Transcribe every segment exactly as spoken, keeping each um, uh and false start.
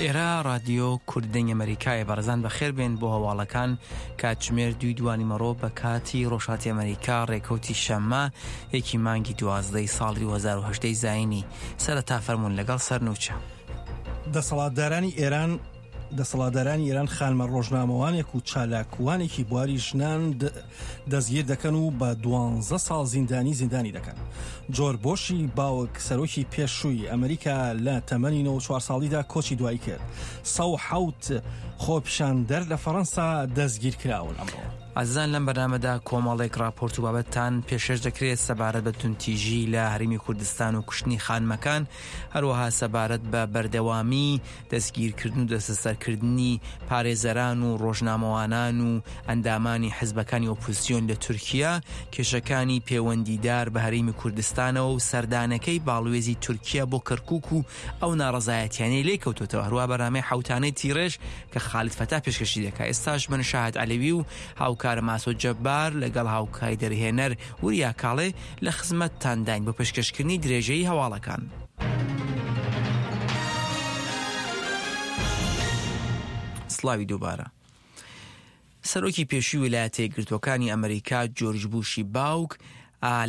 ئێرە ڕادیۆ کورد دەنگ ئەمریکایە. بەڕێزان بەخێر بێن بۆ هەواڵەکان. کاتژمێر دووی دوانی مەڕۆ بە کاتی ڕۆژهەڵاتی ئەمریکا، ڕێکەوتی شەممە یەکی مانگی دوازدەی ساڵی دوو هەزار و هەژدە زایینی. سەرەتا فەرموون لەگەڵ سەرنوچە. دەسەڵاتدارانی ئێران دەسەڵاتدارانی ئێران خانمە ڕۆژنامەوانێک و چالاکوانێکی بواری ژنان دەستگیر دەکەن و بە دوانزە ساڵ زیندانی زیندانی دەکەن. جۆرج بۆشی باوک سەرۆکی پێشووی ئەمریکا لە تەمەنی نەوەد و چوار ساڵیدا کۆچی دوایی کرد. سەد و حەوت خۆپیشاندەر لە فەڕەنسا دەستگیر کراون ئەمڕۆ. ئازیزان لەم بەرنامەدا کۆمەڵێک راپۆرت و بابەتتان پێشکەش دەکرێت سەبارەت بە توندتیژی لە هەرێمی کوردستان و کوشتنی خانمەکان، هەروەها سەبارەت بە بەردەوامی دەستگیرکردن و دەستەسەرکردنی پارێزەران و ڕۆژنامەوانان و ئەندامانی حزبەکانی ئۆپۆزیسیۆن لە تورکیا، کێشەکانی پەیوەندیدار بە هەرێمی کوردستانەوە و سەردانەکەی باڵوێزی تورکیا بۆ کەرکوک و ئەو ناڕەزایەتیانەی لێکەوتوتەوە. هەروەها بەرنامەی حوتانەی تیڕێژ کە خالد فەتا پێشکەشی دەکات. ئێستاش من شاهد عەلەوی و هاوکارە ماسۆ جەبار لەگەڵ هاوکاری دەرهێنەر وریا کاڵێ لە خزمەتتانداین بۆ پێشکەشکردنی درێژەی هەواڵەکان. سڵاوی دووبارە. سەرۆکی پێشووی ویلایەتە یەکگرتووەکانی ئەمریکا جۆرج بوشی باوک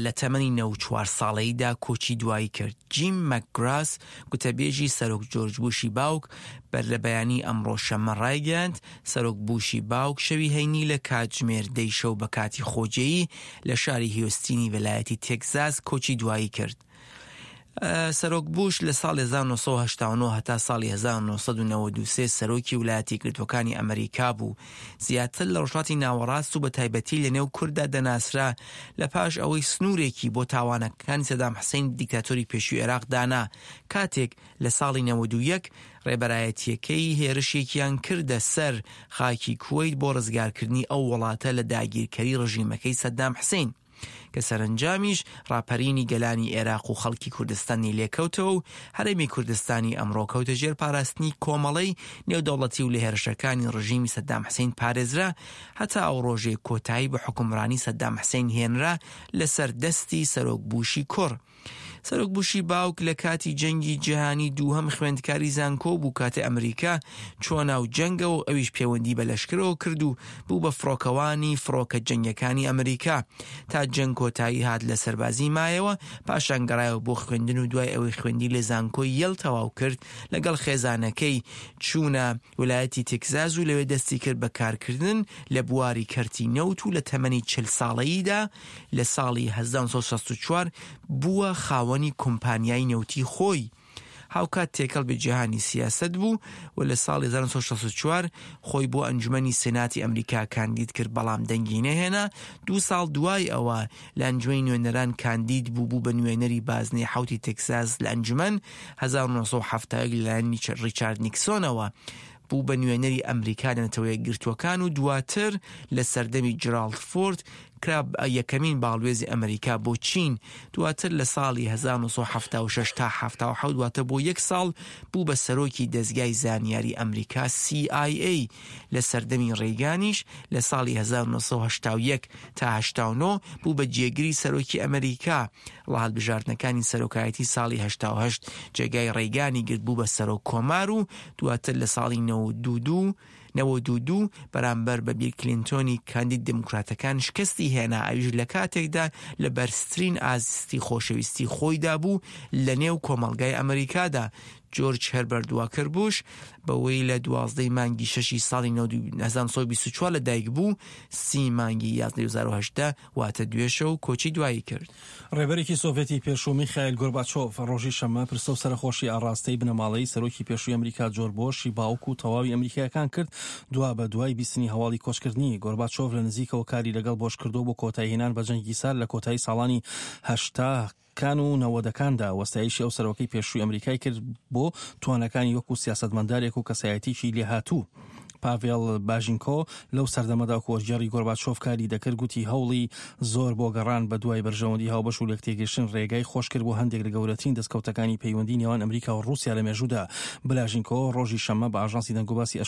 لە تەمەنی نەوەد و چوار ساڵەیدا کۆچی دوایی کرد. جیم مەکگراس گوتەبێژی سەرۆک جۆرج بوشی باوک بەر لە بەیانی ئەمڕۆ شەممە ڕایگەیاند سەرۆک بوشی باوک شەوی هەینی لە کاتژمێر دەی شەو بە کاتی خۆجێیی لە شاری هیوستینی ویلایەتی تێکزاس کۆچی دوایی کرد. سەرۆک بوش لە ساڵی هەزار و نۆ سەد و هەشتا و نۆ هەتا ساڵی هەزار و نۆ سەد و نەوەد و سێ سەرۆکی ویلایەتی یەکگرتووەکانی ئەمریکا بوو. زیاتر لە ڕۆژهەڵاتی ناوەڕاست و بە تایبەتی لە نێو کورددا دەناسرا لە پاش ئەوەی سنوورێکی بۆ تاوانەکانی سەدام حسین دیکتاتۆری پێشووی عێراق دانا، کاتێک لە ساڵی نەوەد و یەک ڕێبەرایەتیەکەی هێرشێکیان کردە سەر خاکی کوەیت بۆ ڕزگارکردنی ئەو وڵاتە لە داگیرکەری ڕژیمەکەی سەدام حسین، کە سەرەنجامیش ڕاپەرینی گەلانی عێراق و خەڵکی کوردستانی لێکەوتەوە و هەرێمی کوردستانی ئەمڕۆ کەوتە ژێر پاراستنی کۆمەڵەی نێودەوڵەتی و لە هێرشەکانی ڕژیمی سەدام حسین پارێزرا هەتا ئەو ڕۆژەی کۆتایی بە حوکمڕانی سەدام حسین هێنرا لەسەر دەستی سەرۆک بوشی کوڕ. سەرۆک بوشی باوک لە کاتی جەنگی جیهانی دووهەم خوێندکاری زانکۆ بوو کاتێ ئەمریکا چووە ناو جەنگەوە و ئەویش پەیوەندی بە لەشکرەوە کرد و بوو بە فڕۆکەوانی فڕۆکە جەنگەکانی ئەمریکا تا جەنگ کۆتایی هات لە سەربازی مایەوە. پاشان گەڕایەوە بۆ خوێندن و دوای ئەوەی خوێندی لە زانکۆی یەل تەواو کرد لەگەڵ خێزانەکەی چوونە ویلایەتی تێکزاس و لەوێ دەستی کرد بە کارکردن لە بواری کەرتی نەوت و لە تەمەنی چل ساڵەییدا لە ساڵی هەزار و نۆ سەد و شەست و چوار بووە خاوەنی کۆمپانیای نەوتی خۆی. هاوکات تێکەڵ بە جیهانی سیاسەت بوو و لە ساڵی هەزار و نۆ سەد و شەست و چوار خۆی بۆ ئەنجومەنی سێناتی ئەمریکا کاندید کرد، بەڵام دەنگی نەهێنا. دوو ساڵ دوای ئەوە لە ئەنجومەنی نوێنەران کاندید بوو، بوو بە نوێنەری بازنەی حەوتی تێکساس لە ئەنجومەن هەزار و نۆ سەد و حەفتا و یەک لەلایەن ڕیچارد نیکسۆنەوە بوو بە نوێنەری ئەمریکا لە نەتەوە یەکگرتووەکان و دواتر لە سەردەمی جێراڵد فۆرد کرا یەکەمین باڵوێزی ئەمریکا بۆ چین. دواتر لە ساڵی هەزار و نۆ سەد و حەفتا و شەش تا حەفتا و حەوت واتە بۆ یەک ساڵ بوو بە سەرۆکی دەزگای زانیاری ئەمریکا سی ئای ئەی. لە سەردەمی ڕێگانیش لە ساڵی هەزار و نۆ سەد و هەشتا و یەک تا هەشتا و نۆ بوو بە جێگری سەرۆکی ئەمریکا. لە هەڵبژاردنەکانی سەرۆکایەتی ساڵی هەشتا و هەشت جێگای ڕێگانی گرت بوو بە سەرۆک کۆمار و دواتر لە ساڵی نەوەد و دوو نەوەد و دوو بەرامبەر بە بیل کلینتۆنی کاندید دێموکراتەکان شکستی هێنا، ئەویش لە کاتێکدا لە بەرزترین ئاستی خۆشەویستی خۆیدا بوو لە نێو کۆمەڵگای ئەمریکادا. جۆرج هەربەرت واکەر بوش بەوەی لە دوازدەی مانگی شەشی ساڵی هەزار و نۆ سەد و بیست و چوار لەدایک بوو، سی مانگی یازدە هەزار و هەژدە واتە دوێشە و کۆچی دوایی کرد. ڕێبەرێکی سۆڤێتی پێشوو میخائیل گۆرباچۆڤ ڕۆژی شەممە پرسە و سەرەخۆشی ئاڕاستەی بنەماڵەی سەرۆکی پێشووی ئەمریکا جۆرج بۆشی باوک و تەواوی ئەمریکایەکان کرد دوا بە دوای بیستنی هەواڵی کۆچکردنی. گۆرباچۆڤ لە نزیکەوە کاری لەگەڵ بۆش کردو بۆ کۆتاییهێنان بە جەنگی سار لە کۆتایی ساڵانی هەشتا کان و نەوەدەکاندا وەستایشی ئەو سەرۆکەی پێشووی ئەمریکای کرد بۆ توانەکانی وەکو سیاسەتمەندارێک و کەسایەتیکی لێهاتوو. پاڤێڵ باژینکۆ لەو سەردەمەدا وەرگێڕی گۆرباچۆڤ کاری دەکرد، گوتی هەوڵی زۆر بۆ گەڕان بە دوای بەرژەوەندی هاوبەش و لێکتێگەیشتن ڕێگای خۆش کرد بۆ هەندێک لە گەورەترین دەستکەوتەکانی پەیوەندی نێوان ئەمریکا و ڕووسیا لە مێژوودا. بلاژینکۆ ڕۆژی شەممە بە ئاژانسی دەنگوباسی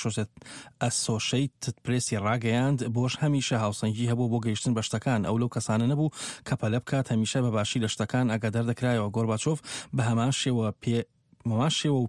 ئەسۆشەیتد پرێسی ڕاگەیاند بۆش هەمیشە هاوسەنگی هەبوو بۆ گەیشتن بە شتەکان، ئەو لەو کەسانە نەبوو کە پەلە بکات، هەمیشە بە باشی لە شتەکان ئاگادار دەکرایەوە. گۆرباچۆڤ بە هەمان شێوە پێ مەمان شێوە و